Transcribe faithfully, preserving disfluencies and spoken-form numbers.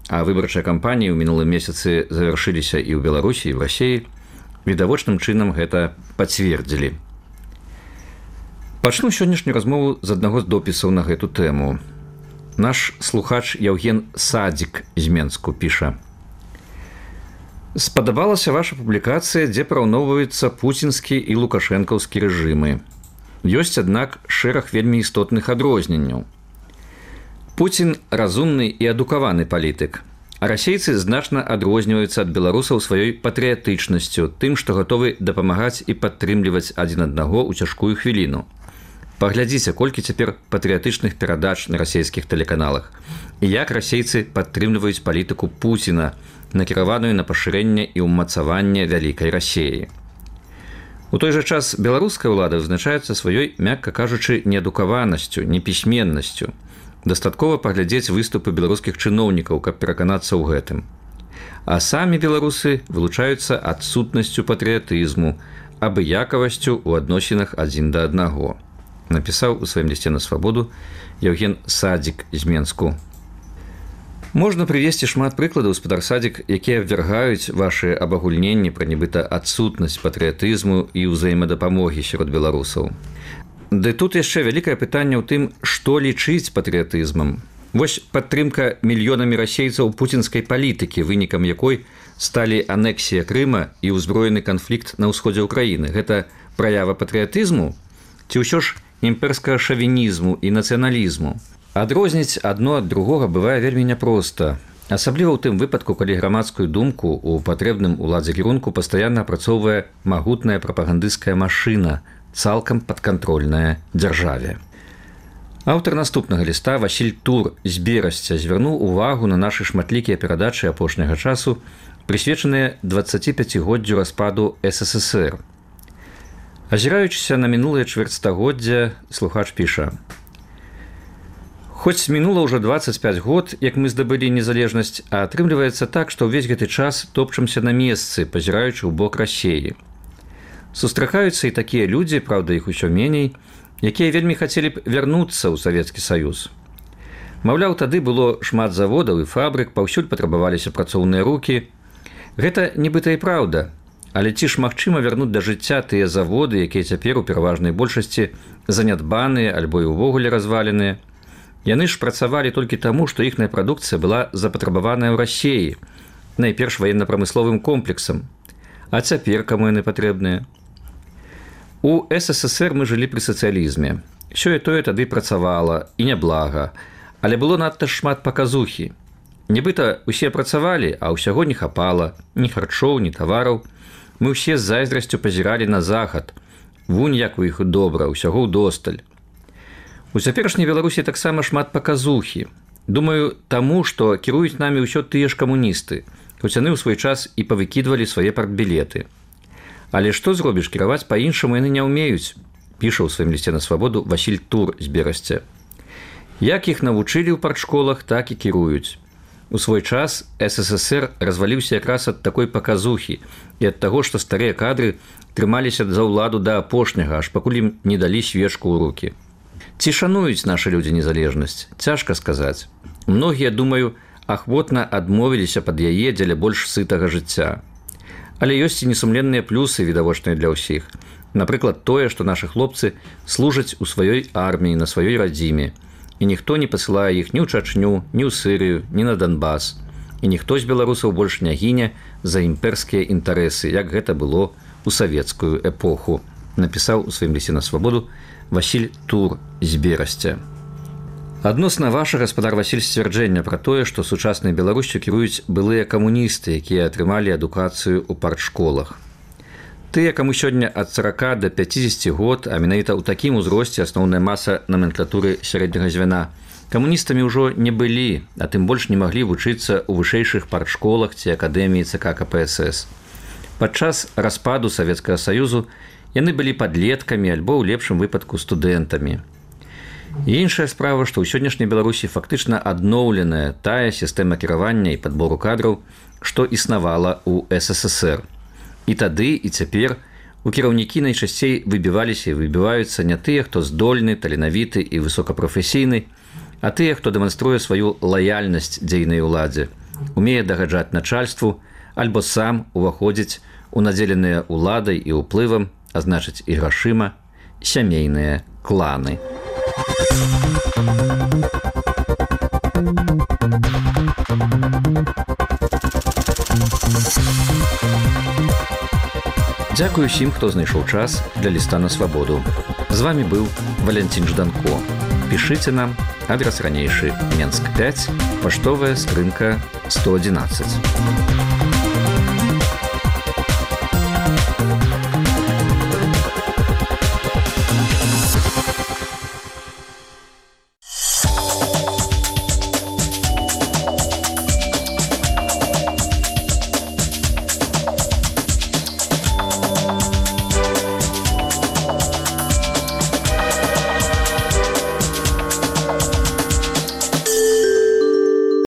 а выбарчыя кампаніі ў мінулым месяцы завяршыліся і ў Беларусі, і ў Расіі, відавочным чынам гэта пацвердзілі. Пачну сённяшнюю размову з аднаго з допісаў на гэту тэму. Наш слухач Яўген Садзік з Менску піша: «Спадабалася ваша публікацыя, дзе параўноўваюцца пуцінскі і лукашэнкаўскі рэжымы. Ёсць, аднак, шэраг вельмі істотных адрозненняў. Пуцін разумны і адукаваны палітык, а расейцы значна адрозніваюцца ад беларусаў сваёй патрыятычнасцю, тым, што гатовы дапамагаць і падтрымліваць адзін аднаго ў цяжкую хвіліну. Паглядзіце, колькі цяпер патрыятычных перадач на расейскіх тэлеканалах і як расейцы падтрымліваюць палітыку Пуціна, накіраваную на пашырэнне і ўмацаванне вялікай Расіі. У той жа час беларуская ўлада вызначаецца сваёй, мякка кажучы, неадукаванасцю, непісьменнасцю. Дастаткова паглядзець выступы беларускіх чыноўнікаў, каб пераканацца ў гэтым. А самі беларусы вылучаюцца адсутнасцю патрыятызму, абыякавасцю ў адносінах адзін да аднаго», напісаў у сваім лісце на свабоду Яўген Садзік з Менску. Можна прывесці шмат прыкладаў, спадар Садзік, якія абвяргаюць вашы абагульненні пра нібыта адсутнасць патрыятызму і ўзаемадапамогі сярод беларусаў. Ды тут яшчэ вялікае пытанне ў тым, што лічыць патрыятызмам. Вось падтрымка мільёнамі расейцаў пуцінскай палітыкі, вынікам якой сталі анексія Крыма і ўзброены канфлікт на ўсходзе ўкраіны. Гэта праява патрыятызму ці ўсё ж імперскага шавінізму і нацыяналізму? Адрозніць адно ад другога бывае вельмі няпроста, асабліва ў тым выпадку, калі грамадскую думку ў патрэбным уладзе кірунку пастаянна апрацоўвае магутная прапагандысцкая машына, цалкам падкантрольная дзяржаве. Аўтар наступнага ліста Васіль Тур з Берасця звярнуў увагу на нашы шматлікія перадачы апошняга часу, прысвечаныя дваццаціпяцігоддзю распаду эс эс эс эр. Азіраючыся на мінулае чвэрцьстагоддзя, слухач піша: «Хоць мінула ўжо дваццаць пяць год, як мы здабылі незалежнасць, а атрымліваецца так, што ўвесь гэты час топчамся на месцы, пазіраючы ў бок Расіі. Сустракаюцца і такія людзі, праўда, іх усё меней, якія вельмі хацелі б вярнуцца ў Савецкі Саюз. Маўляў, тады было шмат заводаў і фабрык, паўсюль патрабаваліся працоўныя рукі. Гэта нібыта і праўда, але ці ж магчыма вярнуць да жыцця тыя заводы, якія цяпер у пераважнай большасці занядбаныя альбо і ўвогуле разваленыя? Яны ж працавалі толькі таму, што іхная прадукцыя была запатрабаваная ў Расіі, найперш ваенна-прамысловым комплексам. А цяпер каму яны патрэбныя? У эс эс эс эр мы жылі пры сацыялізме. Сёе-тое тады працавала, і няблага, але было надта шмат паказухі. Нібыта усе працавалі, а ўсяго не хапала, ні харчоў, ні тавараў. Мы ўсе з зайздрасцю пазіралі на захад. Вунь, як у іх добра, усяго ўдосталь. У цяперашняй Беларусі таксама шмат паказухі. Думаю, таму, што кіруюць намі ўсё тыя ж камуністы, хоць яны ў свой час і павыкідвалі свае партбілеты. Але што зробіш, кіраваць па-іншаму яны не ўмеюць, піша ў сваім лісце на свабоду Васіль Тур з Берасця. Як іх навучылі ў партшколах, так і кіруюць. У свой час эс эс эс эр разваліўся якраз ад такой паказухі і ад таго, што старыя кадры трымаліся за ўладу да апошняга, аж пакуль ім не далі свечку ў рукі. Ці шануюць нашы людзі незалежнасць? Цяжка сказаць. Многія, думаю, ахвотна адмовіліся пад яе дзеля больш сытага жыцця. Але ёсць і несумленныя плюсы, відавочныя для ўсіх. Напрыклад, тое, што нашы хлопцы служаць у сваёй арміі, на сваёй радзіме, і ніхто не пасылае іх ні ў Чачню, ні ў Сырыю, ні на Донбас. І ніхто з беларусаў больш не гіне за імперскія інтарэсы, як гэта было ў савецкую эпоху, напісаў у сваім лісце на свабоду Васіль Тур з Берасця. Адносна вашага, гаспадар Васіль, сцвярджэння пра тое, што сучаснай Беларусю кіруюць былыя камуністы, якія атрымалі адукацыю ў партшколах. Тыя, каму сёння ад сарака да пяцідзесяці год, а менавіта ў такім узросце асноўная маса номенклатуры сярэдняга звяна, камуністамі ўжо не былі, а тым больш не маглі вучыцца ў вышэйшых партшколах ці акадэміі цэ ка ка пэ эс эс. Падчас распаду Савецкага Саюзу яны былі падлеткамі альбо ў лепшым выпадку студэнтамі. І іншая справа, што ў сённяшняй Беларусі фактычна адноўленая тая сістэма кіравання і падбору кадраў, што існавала ў эс эс эс эр. І тады, і цяпер у кіраўнікі найчасцей выбіваліся і выбіваюцца не тыя, хто здольны, таленавіты і высокапрафесійны, а тыя, хто дэманструе сваю лаяльнасць дзейнай уладзе, умее дагаджаць начальству, альбо сам уваходзіць у надзеленыя ўладай і ўплывам, а значыць і грашыма, сямейныя кланы. Дзякую ўсім, хто знайшоў час для ліста на свабоду. З вами быў Валянцін Жданко. Пішыце нам, адрес ранейшы Менск пяць, паштовая скрынка сто адзінаццаць.